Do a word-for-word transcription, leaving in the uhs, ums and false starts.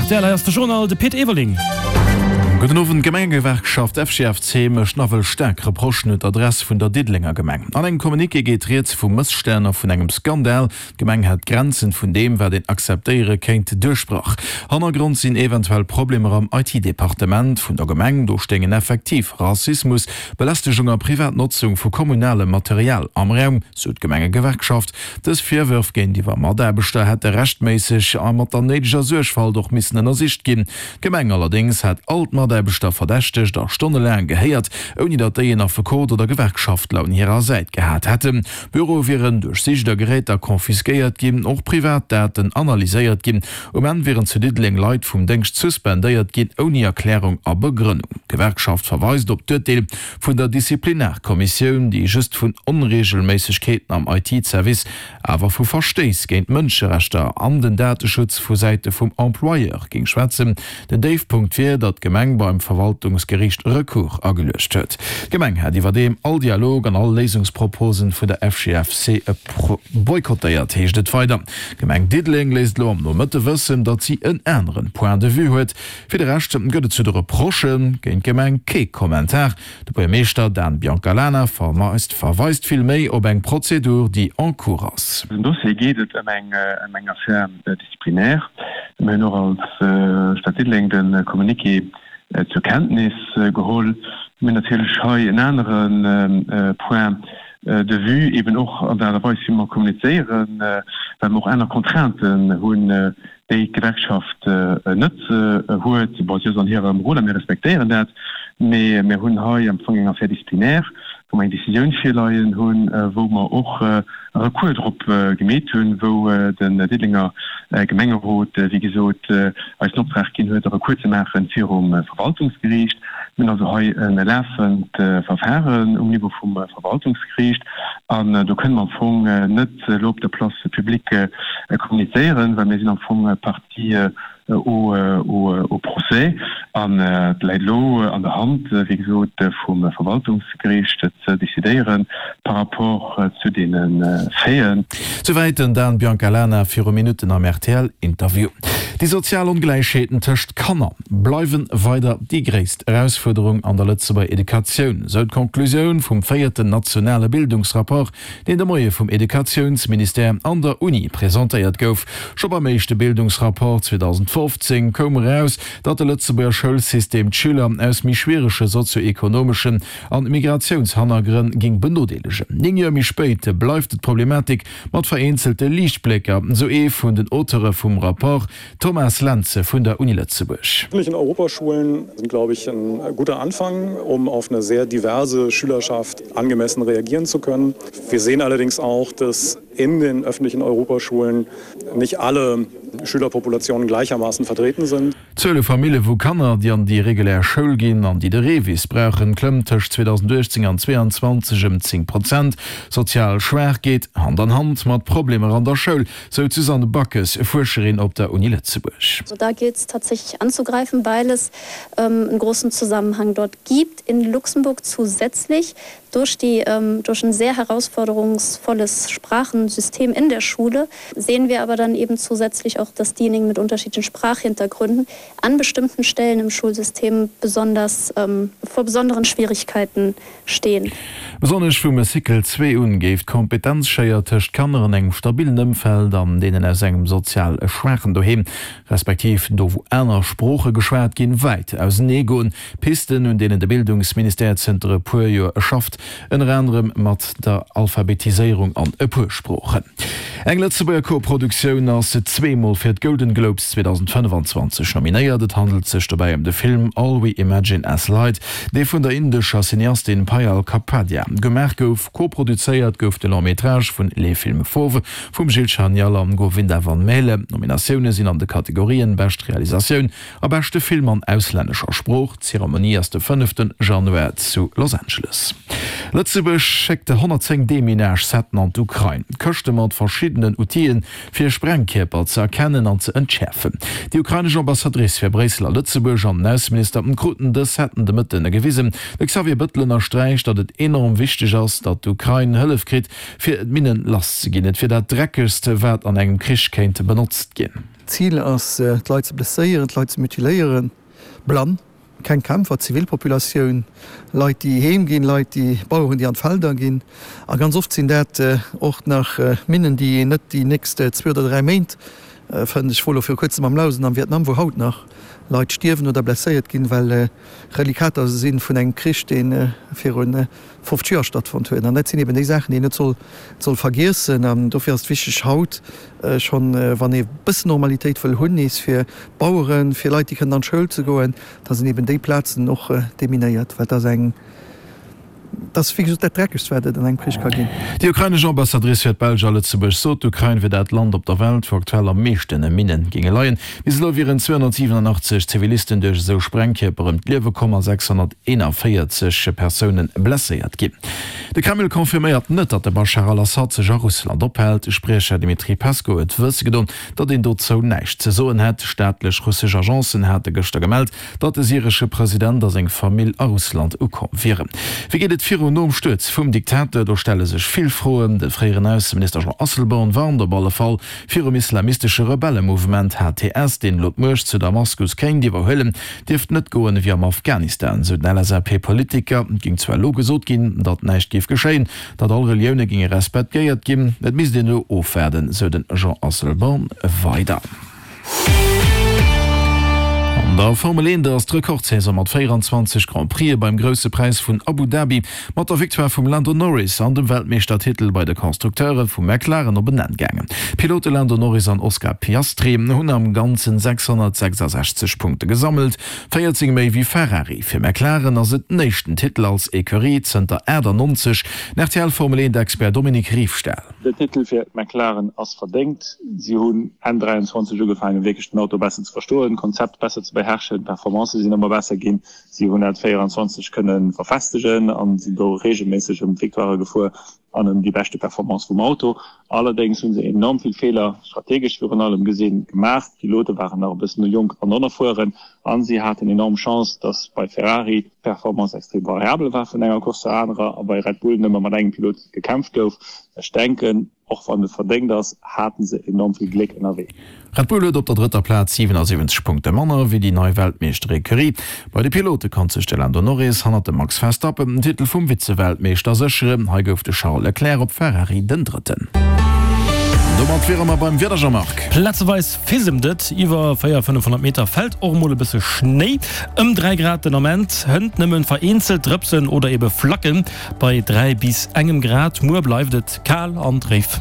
R T L, hei ass de Journal, de Pit Everling. Gudden Owend, D'Gemengegewerkschaft F G F C mécht nawell staark Reprochen un d'Adress vun der Diddelenger Gemeng. An engem Communiqué geet rieds vu Mësstänn a vun engem Skandal. D'Gemeng hätt d'Grenzen vun deem, wat een akzeptéiere kéint, duerchbrach. Hannergrond sinn eventuell Problemer am I T-Departement vun der Gemeng. Do stéingen effektiv Rassismus, Belästegung a privat Notzung vu kommunalem Material am Raum, sou d'Gemengegewerkschaft. Dës Virwërf géintiwwer Mataarbechter hätte rechtméisseg a mat der néideger Suergfalt och missen ënnersicht ginn. D'Gemeng allerdéngs hätt all d'Mataarbechter verdächtegt a stonnelaang gehéiert, ouni datt déi en Affekot oder Gewerkschaftler un hirer Säit gehat hätten. Büroe wieren duerchsicht a Geräter konfiskéiert ginn, och privat Daten analyséiert ginn. Um Enn wieren zu Diddeleng Leit vum Déngscht suspendéiert ginn, ouni Erklärung a Begrënnung. D'Gewerkschaft verweist op d'Urteel vun der Disziplinarkommissioun, déi just vun Onreegelméissegkeeten am I T-Service, awer vu Verstéiss géint d'Mënscherechter an den Dateschutz vu Säite vum Employeur géing schwätzen. Den Déifpunkt wier, datt d'Gemeng beim Verwaltungsgeriicht Recours ageluecht huet. D'Gemeng hätt iwwerdeem all Dialog an all Léisungsproposen vun der F G F C boykottéiert, heescht et weider. D'Gemeng Diddeleng léisst elo am Nomëtte wëssen, datt si en anere Point de vue huet. Fir de Rescht gëtt et zu de Reprochë géint d'Gemeng kee Kommentar. De Buergermeeschter Dan Biancalana verweist verweist villméi op eng Prozedur, déi en cours ass. Am Dossier geet et ëm eng ëm eng Affaire disciplinaire. Mir hunn och als Stad Diddeleng de Communiqué zur Kenntnis geholl. Mir hunn natierlech hei en anere Point de vue, eben och an der Aart a Weis, wéi mer kommunizéieren, well mer och aner Contrainten hunn, déi d'Gewerkschaft net huet. Bon, si ass an hirem Rôle a mir respektéieren dat, mee mir hunn hei am Fong eng Affaire disciplinaire, wou mer eng Décisioun virleien hunn, wou mer och e Recours drop gemeet hunn, wou den Diddelenger Gemengerot, wéi gesot, eis den Optrag ginn huet, e Recours ze maache virum Verwaltungsgeriicht. Mir hunn also hei e lafend Verfahren um Niveau vum Verwaltungsgeriicht an do kënne mer am Fong net elo op der Place publique kommunizéieren, well mir sinn am Fong Partie au, au, au procès an et läit elo an der Hand, wéi gesot, vum Verwaltungsgeriicht ze decidéieren par rapport zu deene Faiten. Souwäit den Dan Biancalana viru Minutten am R T L-Interview. Déi sozial Ongläichheeten tëscht Kanner bleiwe weider déi gréisst Erausfuerderung an der Lëtzebuerger Educatioun, sou d'Konklusioun vum véierten nationale Bildungsrapport, deen de Moie vum Educatiounsministère an der Uni presentéiert gouf. Scho beim éischte Bildungsrapport zweedausendfofzéng koum eraus, datt de Lëtzebuerger Schoulsystem d'Schüler aus méi schwierege sozio-ekonomeschen an Migratiounshannergrënn géing benodeelegen. Néng Joer méi spéit bleift d'Problematik mat vereenzelte Liichtblécker, sou ee vun den Auteure vum Rapport, Thomas Lenze vun der Uni Lëtzebuerg. Öffentlichen Europaschulen sind, glaube ich, ein guter Anfang, um auf eine sehr diverse Schülerschaft angemessen reagieren zu können. Wir sehen allerdings auch, dass in den öffentlichen Europaschulen nicht alle Schülerpopulationen gleichermaßen vertreten sind. D'Zuel u Famillje vu Kanner, déi an déi regulär Schoul ginn an déi de REVIS brauchen, klëmmt tëscht zweedausenduechtzéng an zweeanzwanzeg ëm zéng Prozent. Sozial schwaach geet Hand an Hand mat Problemer an der Schoul, sou d'Susanne Backes, Fuerscherin op der Uni Lëtzebuerg. Also da gilt es tatsächlich anzugreifen, weil es ähm, einen großen Zusammenhang dort gibt. In Luxemburg zusätzlich durch, die, ähm, durch ein sehr herausforderungsvolles Sprachensystem in der Schule sehen wir aber dann eben zusätzlich auch, dass diejenigen mit unterschiedlichen Sprachhintergründen an bestimmten Stellen im Schulsystem besonders ähm, vor besonderen Schwierigkeiten stehen. Besonnesch vum Cycle zwee un géif d'Kompetenzschéier tëscht Kanner an engem stabillen Ëmfeld an deenen aus engem sozial schwaachen Doheem, respektiv do wou aner Sprooche geschwat ginn, wäit auseneegoen. Pisten, un deenen de Bildungsministère zënter e puer Joer schafft, ënner anerem mat der Alphabetiséierung an e puer Sproochen. Eng Lëtzebuerger Koproduktioun ass zweemol fir d'Golden Globes zweedausendfënnefanzwanzeg nominéiert. Et handelt sech dobäi ëm de Film All We Imagine as Light, dee vun der indescher Cineastin Payal Kapadia gemaach gouf. Koproduzéiert gouf de Long-métrage vun Les Films Fauves vum Gilles Chanial an Govinda Van Maele. Nominatioune sinn an de Kategorien Bescht Realisatioun a beschte Film an auslännescher Sprooch. D'Zeremonie ass de fënnefte Januar zu Los Angeles. Lëtzebuerg schéckt honnertzéng Deminage-Setten an d'Ukrain. Këschte mat verschiddenen Outile fir Sprengkierper ze erkennen an ze entschäerfen. Déi ukrainesch Ambassadrice fir Bréissel a Lëtzebuerg an den Ausseminister kruten dës Setten de Mëtten gewisen. De Xavier Bettel ënnersträicht, datt et enorm wichteg ass, datt d'Ukrain Hëllef kritt, fir d'Minnen lass ze ginn. Et wier dat dreckegst, wat an engem Krich kéint benotzt ginn. D'Zil ass, d'Leit ze blesséieren, d'Leit ze mutiléieren, blann, keng Kämpfer, Zivilpopulatioun, Leit déi heem ginn, Leit déi, Baueren déi an d'Felder ginn. A ganz oft sinn dat och nach Minnen, déi een net déi nächst zwee oder dräi Méint fënnt. Ech wor elo viru kuerzem am Laos an am Vietnam, wou haut nach Leit stierwen oder blesséiert ginn, well Relikater si vun engem Krich, dee viru fofzeg Joer stattfonnt huet. An dat sinn eben déi Saachen, déi een net soll soll vergiessen. An dofir ass et wichteg haut schonn, wann ee bëssen Normalitéit wëll hunn nees fir d'Baueren, fir Leit, déi kënnen an d'Schoul ze goen, da sinn eben déi Plazen och deminéiert, well dat ass eng, dat ass wéi gesot dat Dreckegst, wat et an engem Krich ka ginn. Déi ukrainesch Ambassadrice fir d'Belsch a Lëtzebuerg sot, d'Ukrain wier dat Land op der Welt, wou aktuell am meeschte Minne géinge leien. Bis elo wieren zweehonnertsiwenanachtzeg Zivilisten duerch esou Sprengkierper ëm d'Liewe komm a sechshonnerteenanvéierzeg Persoune blesséiert ginn. De Kreml confirméiert net, datt de Baschar al-Assad sech a Russland ophält. De Spriecher Dmitri Peskow huet wësse gedoen, datt een dozou näischt ze soen hätt. Staatlech russesch Agencen hate gëschter gemellt, datt de syresche President a seng Famill a Russland ukomm wieren. Wéi geet et virun nom Stuerz vum Diktator? Do stelle sech vill Froen. De fréieren Ausseminister Jean Asselborn warnt op alle Fall virum islamistesche Rebellemouvement H T S, deen elo d'Muecht zu Damaskus kéint iwwerhuelen. Dierft net goen ewéi am Afghanistan, sou den L S A P-Politiker. Et géing zwar elo gesot ginn, datt näischt géif geschéien, datt all Relioune géinge respektéiert ginn. Et misst een elo ofwaarden, sou den Jean Asselborn weider. An der Formel eent ass d'Rekordsaison mat véieranzwanzeg Grand Prixë beim Grousse Präis vun Abu Dhabi mat der Victoire vum Lando Norris an dem Weltmeeschtertitel bei de Konstrukteure vu McLaren op en Enn gaangen. D'Pilote Lando Norris an Oscar Piastri hunn am Ganzen sechshonnertsechsasechzeg Punkte gesammelt, véierzéng méi wéi Ferrari. Fir McLaren ass et den éischten Titel als Ecurie zënter aachtannonzeg. Den R T L-Formel-eent-Expert Dominique Riefstahl. Den Titel fir McLaren ass verdéngt. Si hunn Enn dräianzwanzeg ugefaangen, wierklech den Auto besser ze verstoen, d'Konzept besser ze beherrschen. D'Performancë sinn ëmmer besser ginn. Si hunn dat véieranzwanzeg kënne verfestegen a sinn do reegelméisseg ëm d'Victoirë gefuer an ëm déi beschte Performance vum Auto. Allerdéngs hu se enorm vill Feeler, strategesch virun allem gesinn, gemaach. D'Pilote waren nach e bëssen jonk an onerfueren a si haten enorm Chance, datt bei Ferrari d'Performance extrem variabel war vun enger Course zur anerer a bei Red Bull nëmme mat engem Pilot gekämpft gouf. Ech denken, och wann et verdéngt ass, hate se enorm vill Gléck ënnerwee. Red Bull huet op der drëtter Plaz siwenasiwwenzeg Punkte manner wéi déi nei Weltmeeschterecurie. Bei de Pilote konnt sech de Lando Norris hannert dem Max Verstappen den Titel vum Vize-Weltmeeschter sécheren. Hei gouf de Charles Leclerc op Ferrari den Drëtten. Domat wiere mer beim Wieder, Jean-Marc. Plazeweis fisemt et, iwwer véier fënnefhonnert Meter fält och mol e bësse Schnéi. Ëm dräi Grad den Ament, hënt nëmmen vereenzelt Drëpsen oder ebe Flacken bei dräi bis engem Grad. Muer bleift et kal an dréif.